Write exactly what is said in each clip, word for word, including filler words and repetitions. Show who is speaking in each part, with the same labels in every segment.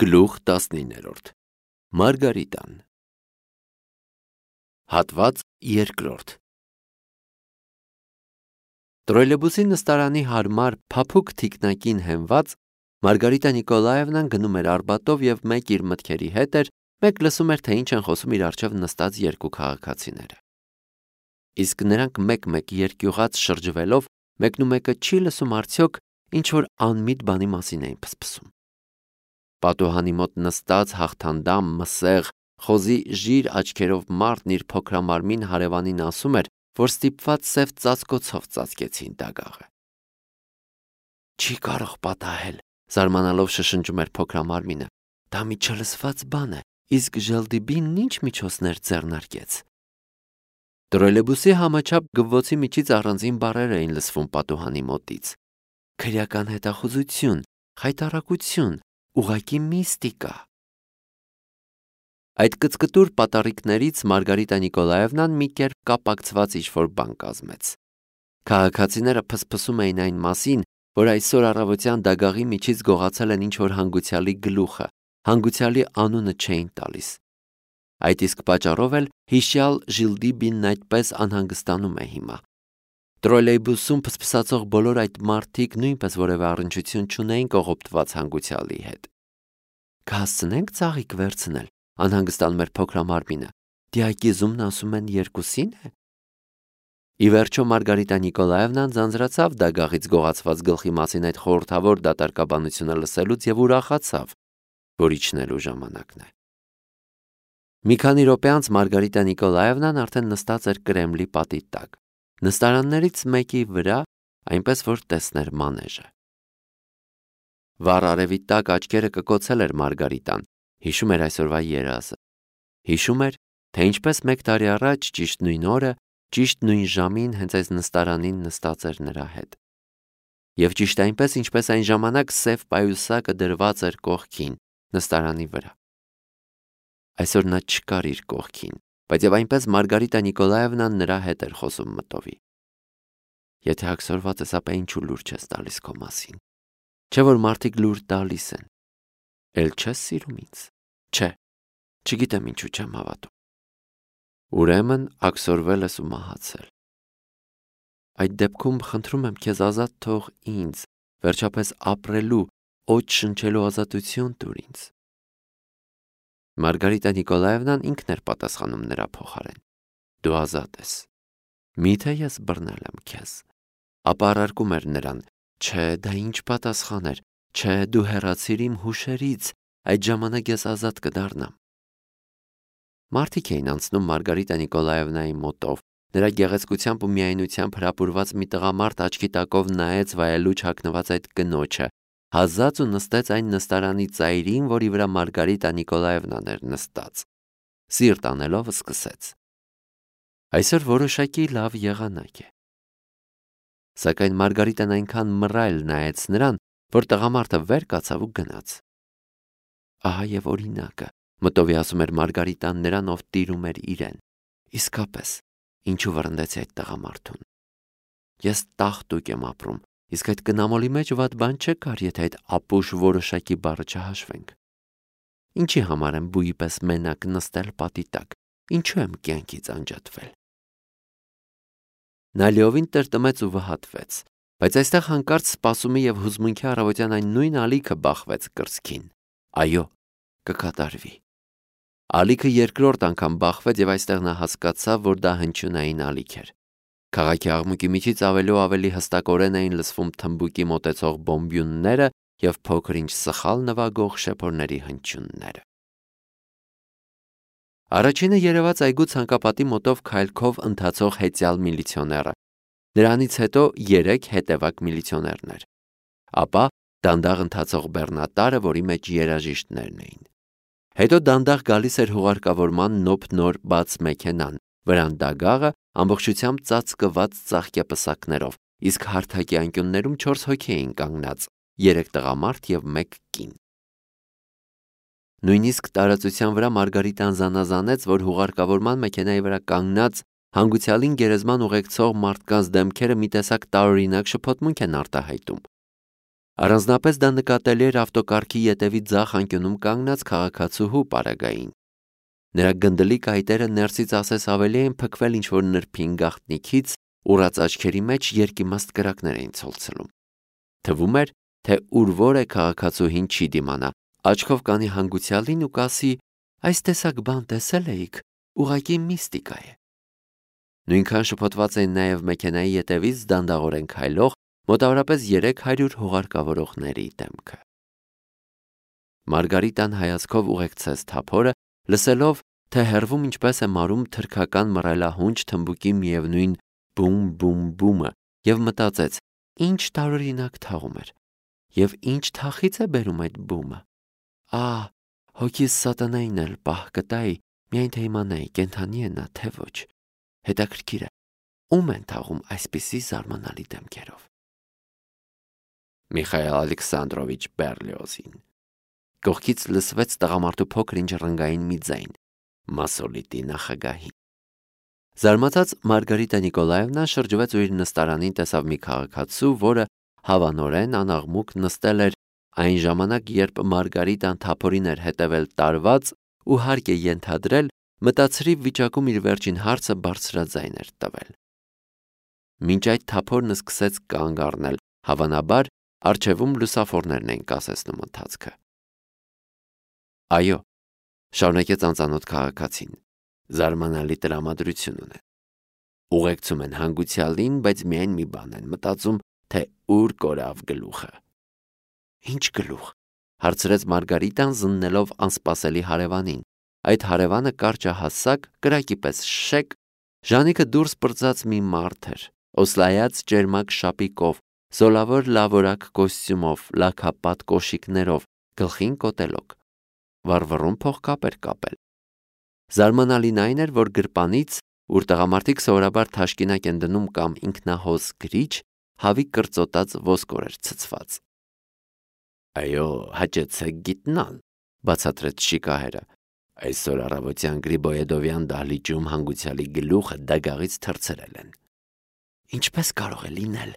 Speaker 1: Գլուխ տասնիններորդ Մարգարիտան Հատված երկրորդ Տրոլեյբուսի նստարանի հարմար փափուկ թիկնակին հենված Մարգարիտա Նիկոլաևնան գնում էր Արբատով եւ մեկ իր մտքերի հետ էր, մեկ լսում էր, թե ինչ են խոսում իր առջև նստած երկու քաղաքացիները։ Իսկ նրանք մեկ-մեկ երկյուղած շրջվելով մեկնումեկը չի լսում արդյոք ինչ որ անմիտ բանի մասին էին փսփսում։ Պատուհանի մոտ նստած հաղթանդամ, մսեղ, խոզի ժիր աչքերով մարդն իր փոքրամարմին հարևանին ասում էր, որ ստիպված սև ծածկոցով ծածկեցին դագաղը։ Չի կարող պատահել, զարմանալով շշնջում էր փոքրամարմինը։ Դա մի չլսված բան է, իսկ Ժելդիբին ինչ միջոցներ ձեռնարկեց։ Տրոլեյբուսի համաչափ գվվոցի միջից առանձին բառեր էին լսվում պատուհանի մոտից։ Քրեական հետախուզություն, խայտառակություն, ուղակի միստիկա։ Այդ կծկտուր պատառիկներից Մարգարիտա Նիկոլաևնան մի կերպ կապակցված ինչ-որ բան կազմեց։ Քաղաքացիները փսփսում էին այն մասին, որ այսօր առավոտյան դագաղի միջից գողացել են ինչ-որ հանգուցյալի գլուխը, հանգուցյալի անունը չէին տալիս։ Այդ իսկ պատճառով էլ հիշյալ Ժիլդիբինն այդպես անհանգստանում է հիմա։ Տրոլեյբուսում փսփսացող բոլոր այդ մարդիկ նույնպես որևէ առնչություն չունեին կողոպտված հանգուցյալի հետ։ Կհասցնենք ծաղիկ վերցնել, անհանգստանում էր փոքրամարմինը։ Դիակիզումն ասում են երկուսին է։ Ի վերջո Մարգարիտա Նիկոլաևնան ձանձրացավ դագաղից գողացված գլխի մասին այդ խորհրդավոր դատարկաբանությունը լսելուց եւ ուրախացավ, որ իջնելու ժամանակն է։ Մի քանի րոպե անց Մարգարիտա Նիկոլաևնան արդեն նստած էր Կրեմլի պատի տակ, նստարաններից մեկի վրա, այնպես որ տեսներ մանեժը։ Վառ արևի տակ աչքերը կկոցել էր Մարգարիտան, հիշում էր այսօրվա երազը։ Հիշում էր, թե ինչպես մեկ տարի առաջ ճիշտ նույն օրը, ճիշտ նույն ժամին հենց այս նստարանին նստած էր նրա հետ։ Եվ ճիշտ այնպես, ինչպես այն ժամանակ սև պայուսակը դրված էր կողքին, նստարանի վրա։ Այսօր նա չկար իր կողքին, բայց եւ այնպես Մարգարիտա Նիկոլաևնան նրա հետ էր խոսում մտովի։ Եթե աքսորված ես, ապա ինչու լուր չես տալիս քո մասին։ Չէ որ մարդիկ լուր տալիս են։ Էլ չես սիրում ինձ։ Չէ, չգիտեմ ինչու չեմ հավատում։ Ուրեմն աքսորվել ես ու մահացել։ Այդ դեպքում խնդրում եմ քեզ ազատ թող ինձ, վերջապես ապրելու, օջ շնչելու ազատություն տուր ինձ։ Մարգարիտա Նիկոլաևնան ինքն էր պատասխանում նրա փոխարեն։ Դու ազատ ես։ Միթե ես բռնել եմ քեզ։ Ապա առարկում էր նրան. Չէ, դա ինչ պատասխան էր։ Չէ, դու հեռացիր իմ հուշերից, այդ ժամանակ ես ազատ կդառնամ։ Մարդիկ էին անցնում Մարգարիտա Նիկոլաևնայի մոտով։ Նրա գեղեցկությամբ ու միայնությամբ հրապուրված մի տղամարդ աչքի տակով նայեց վայելուչ հագնված այդ կնոջը, հազած ու նստեց այն նստարանի ծայրին, որի վրա Մարգարիտա Նիկոլաևնան էր նստած։ Սիրտ անելով սկսեց. Այսօր որոշակի լավ եղանակ է։ Սակայն Մարգարիտան այնքան մռայլ նայեց նրան, որ տղամարդը վեր կացավ ու գնաց։ Ահա եւ օրինակը, մտովի ասում էր Մարգարիտան նրան, ով տիրում էր իրեն։ Իսկապես, ինչու վռնդեցի այդ տղամարդուն։ Ես տաղտուկ եմ ապրում, իսկ այդ կնամոլի մեջ վատ բան չկար, եթե այդ ապուշ որոշակի բառը չհաշվենք։ Ինչի համար եմ բույի պես մենակ նստել պատի տակ, ինչու եմ կյանքից անջատվել։ Նա լիովին տրտմեց ու վհատվեց, բայց այստեղ հանկարծ սպասումի եւ հուզմունքի առավոտյան այն նույն ալիքը բախվեց կրծքին։ Այո, կկատարվի։ Ալիքը երկրորդ անգամ բախվեց եւ այստեղ նա հասկացավ, որ դա հնչյունային ալիք էր։ Քաղաքի աղմուկի միջից ավելի ու ավելի հստակորեն էին լսվում թմբուկի մոտեցող բոմբյունները եւ փոքր-ինչ սխալ նվագող շեփորների հնչյունները։ Առաջինը երևաց այգու ցանկապատի մոտով քայլքով ընթացող հեծյալ միլիցիոները։ Նրանից հետո երեք հետևակ միլիցիոներներ։ Ապա դանդաղ ընթացող բեռնատարը, որի մեջ երաժիշտներն էին։ Հետո դանդաղ գալիս էր հուղարկավորման նոփ-նոր բաց մեքենան, վրան դագաղը ամբողջությամբ ծածկված ծաղկեպսակներով, իսկ հարթակի անկյուններում չորս հոգի էին կանգնած, երեք տղամարդ եւ մեկ կին։ Նույնիսկ տարածության վրա Մարգարիտան զանազանեց, որ հուղարկավորման մեքենայի վրա կանգնած հանգուցյալին գերեզման ուղեկցող մարդկանց դեմքերը մի տեսակ տարօրինակ շփոթմունք են արտահայտում։ Առանձնապես դա նկատելի էր ավտոկառքի ետևի ձախ անկյունում կանգնած քաղաքացուհու պարագային։ Նրա գնդլիկ այտերը ներսից ասես ավելի էին փքվել ինչ-որ նրբին գաղտնիքից, ուռած աչքերի մեջ երկիմաստ կրակներ էին ցոլցնում։ Թվում էր, թե ուր որ է քաղաքացուհին չի դիմանա, աչքով կանի հանգուցյալին ու կասի. «Այս տեսակ բան տեսել էիք, ուղղակի միստիկա է»։ Նույնքան շփոթված էին նաև մեքենայի ետևից դանդաղորեն քայլող մոտավորապես երեք հարյուր հուղարկավորողների դեմքը։ Մարգարիտան հայացքով ուղեկցեց թափորը, լսելով, թե հեռվում ինչպես է մարում թրքական մռայլահունչ թմբուկի միևնույն բում-բում-բումը, եւ մտածեց. ինչ տարօրինակ թաղում էր, եւ ինչ թախից է բերում այդ բումը։ Ահ, հոգիս սատանային էլ պահ կտայի, միայն թե իմանայի կենդանի է նա, թե ոչ։ Հետաքրքիր է, ում են թաղում այսպիսի զարմանալի դեմքերով։ Միխայել Ալեքսանդրովիչ Բերլիոզին։ Կողքից լսվեց տղամարդու փոքր-ինչ ռնգային մի ձայն, մասոլիտի նախագահին։ Զարմացած Մարգարիտա Նիկոլաևնան շրջվեց ու իր նստարանին տեսավ մի քաղաքացու, որը հավանորեն անաղմուկ նստել էր այն ժամանակ, երբ Մարգարիտան թափորին էր հետևել տարված ու հարկ է ենթադրել, մտածրիվ վիճակում իր վերջին հարցը բարձրաձայն էր տվել։ Մինչ այդ թափորն սկսեց կանգ առնել, հավանաբար առջևում լուսավորներն էին կասեցնում ընթացքը։ Այո, շարունակեց անծանոթ քաղաքացին, զարմանալի տրամադրություն ունեն։ Ուղեկցում են հանգուցյալին, բայց միայն մի բան են մտածում, թե ուր կորավ գլուխը։ Ինչ գլուխ, հարցրեց Մարգարիտան զննելով անսպասելի հարևանին։ Այդ հարևանը կարճահասակ, կրակի պես շեք, ժանիքը դուրս պրծած մի մարդ էր, օսլայած ճերմակ շապիկով, զոլավոր լավորակ կոստյումով, լաքապատ կոշիկներով, գլխին կոտելոկ, վառվռուն փողկապ էր կապել։ Զարմանալին այն էր, որ գրպանից, ուր տղամարդիկ սովորաբար թաշկինակ են դնում կամ ինքնահոս գրիչ, հավի կրծոտած ոսկոր էր ցցված։ Այո, հաճեցեք գիտնալ, բացատրեց շիկահերը։ Այսօր առավոտյան Գրիբոյեդովյան դահլիճում հանգուցյալի գլուխը դագաղից թռցրել են։ Ինչպես կարող է լինել,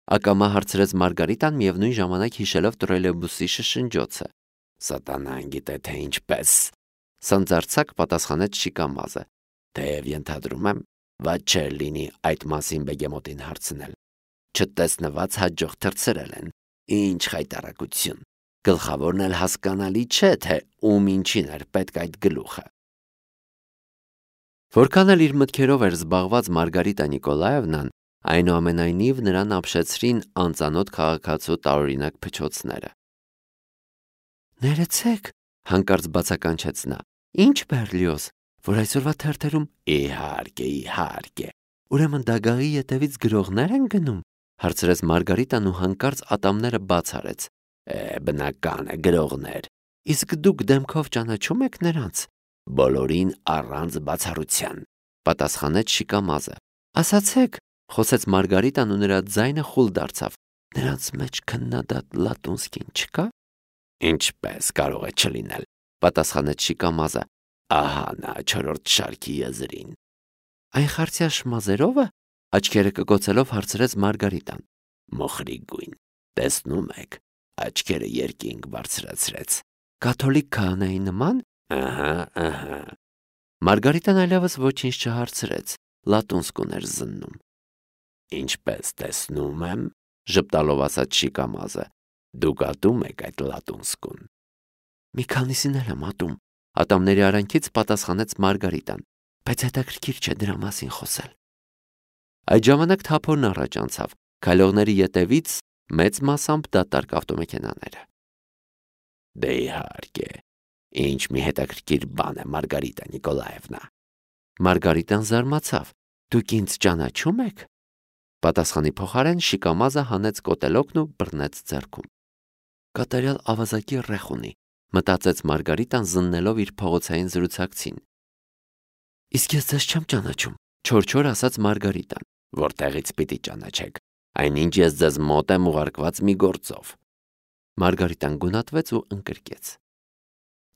Speaker 1: ակամա հարցրեց Մարգարիտան միևնույն ժամանակ հիշելով տրոլեյբուսի շշնջոցը։ Սատանան գիտե թե ինչպես, սանձարձակ պատասխանեց շիկամազը։ Թեև ենթադրում եմ, վատ չէր լինի այդ մասին բեգեմոտին հարցնել։ Չտեսնված հաջող թռցրել են։ Ինչ խայտառակություն։ Գլխավորն էլ հասկանալի չէ, թե ում ինչին էր պետք այդ գլուխը։ Որքան էլ իր մտքերով էր զբաղված Մարգարիտա Նիկոլաևնան, այնուամենայնիվ նրան ապշեցրին անծանոթ քաղաքացու տարօրինակ փչոցները։ Ներեցեք, հանկարծ բացականչեց նա։ Ինչ Բերլիոզ, որ այսօրվա թերթերում իհարկե, իհարկե։ Ուրեմն դագաղի ետևից գրողներ են գնում, հարցրեց Մարգարիտան ու հանկարծ ատամները բաց արեց։ Է, բնական է, գրողներ։ Իսկ դուք դեմքով ճանաչում եք նրանց։ Բոլորին առանց բացառության, պատասխանեց շիկամազը։ Ասացեք, խոսեց Մարգարիտան ու նրա ձայնը խուլ դարձավ։ Նրանց մեջ քննադատ Լատունսկին չկա։ Ինչպես կարող է չլինել, պատասխանեց շիկամազը։ Ահա նա չորրորդ շարքի եզրին։ Այն խարցյա շմազերովը, աչքերը կկոցելով հարցրեց Մարգարիտան։ Մոխրի գույն, տեսնում եք, աչքերը երկինք բարձրացրեց։ Կաթոլիկ քահանայի նման։ Ահա, ահա։ Մարգարիտան այլևս ոչինչ չհարցրեց, լատունսկուն էր զննում։ Ինչպես տեսնում եմ, ժպտալով ասաց շիկամազը, դուք ատում եք այդ լատունսկուն։ Մի քանիսին էլ եմ ատում, ատամների արանքից պատասխանեց Մարգարիտան, բայց հետաքրքիր չէ դրա մասին խոսել։ Այդ ժամանակ թափորն առաջ անցավ, քայլողների ետևից մեծ մասամբ դատարկ ավտոմեքենաները։ Դե իհարկե, ինչ մի հետաքրքիր բան է, Մարգարիտա Նիկոլաևնա։ Մարգարիտան զարմացավ։ Դուք ինձ ճանաչում եք։ Պատասխանի փոխարեն շիկամազը հանեց կոտելոկն ու բռնեց ձեռքում։ Կատարյալ ավազակի ռեխ ունի, մտածեց Մարգարիտան զննելով իր փողոցային զրուցակցին։ Իսկ ես ձեզ չեմ ճանաչում, չոր-չոր ասաց Մարգարիտան։ Որտեղից պիտի ճանաչեք, այնինչ ես ձեզ մոտ եմ ուղարկված մի գործով։ Մարգարիտան գունատվեց ու ընկրկեց։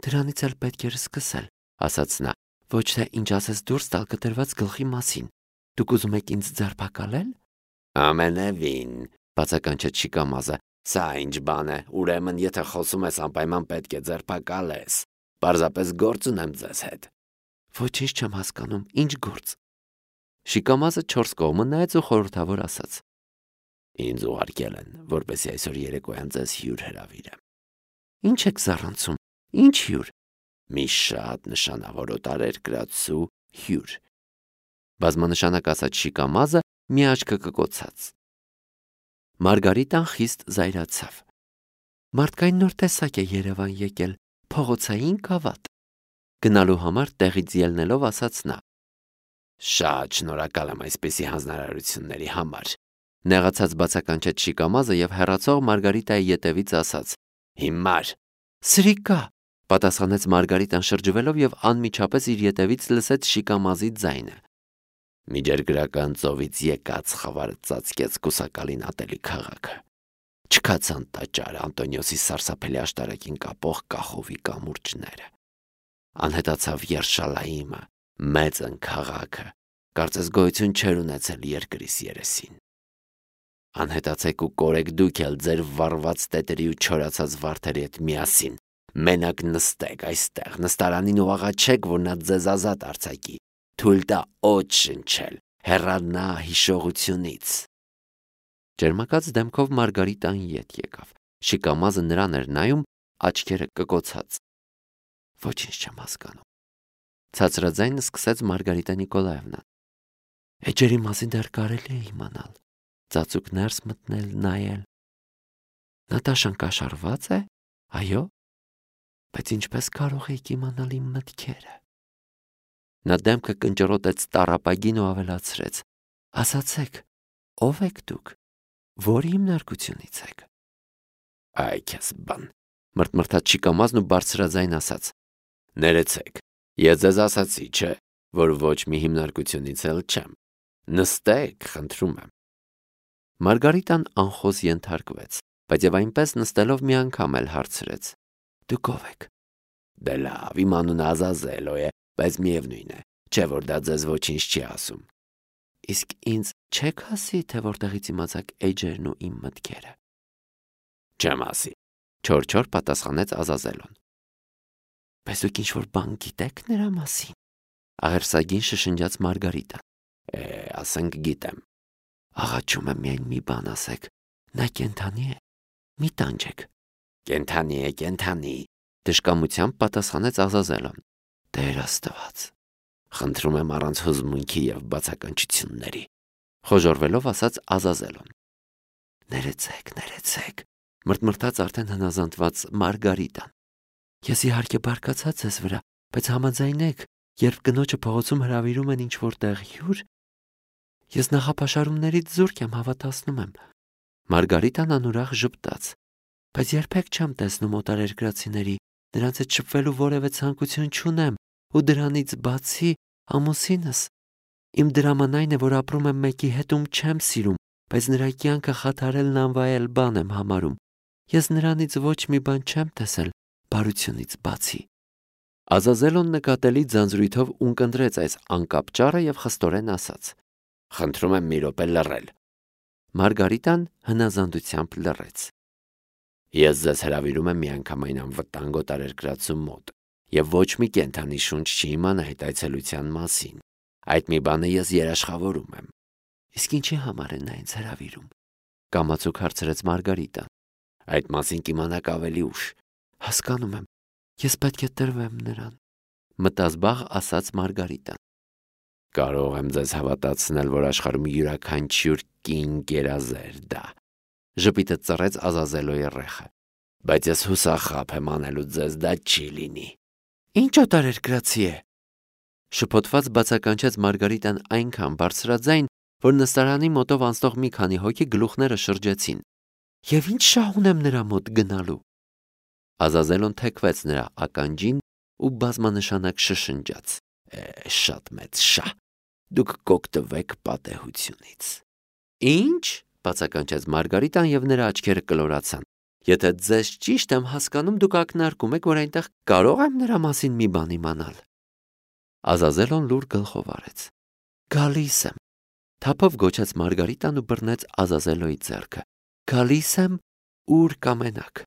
Speaker 1: Դրանից էլ պետք էր սկսել, ասաց նա, ոչ թե ինչ ասես դուրս տալ կտրված գլխի մասին։ Դուք ուզում եք ինձ ձերբակալել։ Ամենևին, բացականչեց շիկամազը, Սա ինչ բան է, ուրեմն եթե խոսում ես անպայման պետք է ձերբակալես, պարզապես գործ ունեմ ձեզ հետ։ Ոչինչ չեմ հասկանում, ինչ գործ։ Շիկամազը չորս կողմը նայեց ու խորհրդավոր ասաց. Ինձ ուղարկել են, որպեսզի այսօր երեկոյան ձեզ հյուր հրավիրեմ։ Ինչ եք զառանցում, ինչ հյուր։ Մի շատ նշանավոր օտարերկրացու հյուր։ Բազմանշանակ ասաց Շիկամազը մի աչքը կկոցած։ Մարգարիտան խիստ զայրացավ։ Մարդկային նոր տեսակ է Երևան եկել, փողոցային գավաթ։ Գնալու համար տեղից ելնելով ասաց նա. Շատ շնորհակալ եմ այսպիսի հանձնարարությունների համար։ Նեղացած բացականչեց Շիկամազը եւ հեռացող Մարգարիտայի ետևից ասաց. Հիմար։ Սրիկա, պատասխանեց Մարգարիտան շրջվելով եւ անմիջապես իր ետևից լսեց Շիկամազի ձայնը։ Միջերգրական ծովից եկած խավարը ծածկեց կուսակալին ատելի քաղաքը։ Չքացան տաճարը, Անտոնիոսի սարսափելի աշտարակին կապող կախովի կամուրջները։ Անհետացավ Երշալայիմը, մեծն քաղաքը, կարծես գոյություն չէր ունեցել երկրիս երեսին։ Անհետացեք ու կորեք դուք էլ ձեր վառված տետերի ու չորացած վարդերի հետ միասին, մենակ նստեք այստեղ, նստարանին ու աղաչեք, որ նա ձեզ ազատ արձակի, թույլ տա օդ շնչել, հեռանա հիշողությունից։ Ջերմակած դեմքով Մարգարիտան ետ եկավ։ Շիկամազը նրան էր նայում, աչքերը կկոցած։ Ոչինչ չեմ հասկանում։ Ցածրաձայն սկսեց Մարգարիտա Նիկոլաևնան։ Էջերի մասին դեռ կարելի է իմանալ, ծածուկ ներս մտնել, նայել։ Նատաշան կաշառված է, այո, բայց ինչպես կարող եք իմանալ իմ մտքերը։ Նա դեմքը կնճռոտեց տառապագին ու ավելացրեց. Ասացեք, ով եք դուք, որ հիմնարկությունից եք։ Այ քեզ բան, մրթմրթաց Շիկամազն ու բարձրաձայն ասաց. Ներեցեք, ես ձեզ ասացի, չէ, որ ոչ մի հիմնարկությունից էլ չեմ։ Նստեք, խնդրում եմ։ Մարգարիտան անխոզ ենթարկվեց, բայց եւ այնպես նստելով մի անգամ էլ հարցրեց. Դուք ով եք։ Դե լավ, իմ անունը Ազազելո է, բայց միևնույն է, չէ որ դա ձեզ ոչինչ չի ասում։ Իսկ ինձ չեք ասի, թե որտեղից իմացաք էջերն ու իմ մտքերը։ Չեմ ասի, չոր-չոր պատասխանեց Ազազելոն։ Բայց դուք ինչ-որ բան գիտեք նրա մասին։ Աղերսագին շշնջաց Մարգարիտան։ Է, ասենք գիտեմ։ Աղաչում եմ միայն մի բան ասեք, նա կենթանի է, մի տանջեք։ Կենթանի է, կենթանի, դժկամությամբ պատասխանեց Ազազելոն։ Տեր Աստված, խնդրում եմ առանց հուզմունքի եւ բացականչությունների, խոժորվելով ասաց Ազազելոն։ Ներեցեք, ներեցեք, մրթմրթաց արդեն հնազանդված Մարգարիտան։ Ես իհարկե բարկացած ես վրա, բայց համաձայնեք, երբ կնոջը փողոցում հրավիրում են ինչ-որ տեղ հյուր, ես նախապաշարումներից զուրկ եմ, հավատացնում եմ։ Մարգարիտան անուրախ ժպտաց, բայց երբեք չեմ տեսնում օտարերկրացիների, նրանց հետ շփվելու որևէ ցանկություն չունեմ, ու դրանից բացի ամուսինս։ Իմ դրաման այն է, որ ապրում եմ մեկի հետ, ում չեմ սիրում, բայց նրա կյանքը խաթարելն անվայել բան եմ համարում։ Ես նրանից ոչ մի բան չեմ տեսել, բարությունից բացի։ Ազազելոն նկատելի ձանձրույթով ունկնդրեց այս անկապ ճառը եւ խստորեն ասաց. Խնդրում եմ մի րոպե լռել։ Մարգարիտան հնազանդությամբ լռեց։ Ես ձեզ հրավիրում եմ միանգամայն անվտանգ օտարերկրացու մոտ եւ ոչ մի կենթանի շունչ չի իմանա այդ այցելության մասին։ Այդ մի բանը ես երաշխավորում եմ։ Իսկ ինչի համար են նա ինձ հրավիրում։ Կամացուկ հարցրեց Մարգարիտան։ Այդ մասին կիմանաք ավելի ուշ։ Հասկանում եմ, ես պետք է տրվեմ նրան, մտազբաղ ասաց Մարգարիտան։ Կարող եմ ձեզ հավատացնել, որ աշխարհում յուրաքանչյուր կին գերազեր դա։ Ժպիտը ծռեց Ազազելոյի ռեխը։ Բայց ես հուսախաբ եմ անելու ձեզ դա չի լինի։ Ինչ օտարերկրացի է։ Շփոթված բացականչեց Մարգարիտան այնքան բարձրաձայն, որ նստարանի մոտով անցնող մի քանի հոգի գլուխները շրջեցին։ Եվ ինչ շահ ունեմ նրա մոտ գնալու։ Ազազելոն թեքվեց նրա ականջին ու բազմանշանակ շշնջաց. Է, շատ մեծ շահ, դուք կօգտվեք պատեհությունից։ Ինչ, բացականչեց Մարգարիտան եւ նրա աչքերը կլորացան։ Եթե ձեզ ճիշտ եմ հասկանում, դուք ակնարկում եք, որ այնտեղ կարող եմ նրա մասին մի բան իմանալ։ Ազազելոն լուր գլխով արեց։ Գալիս եմ։ Թափով գոչեց Մարգարիտան ու բռնեց Ազազելոյի ձեռքը։ Գալիս եմ Ուր կամենաք։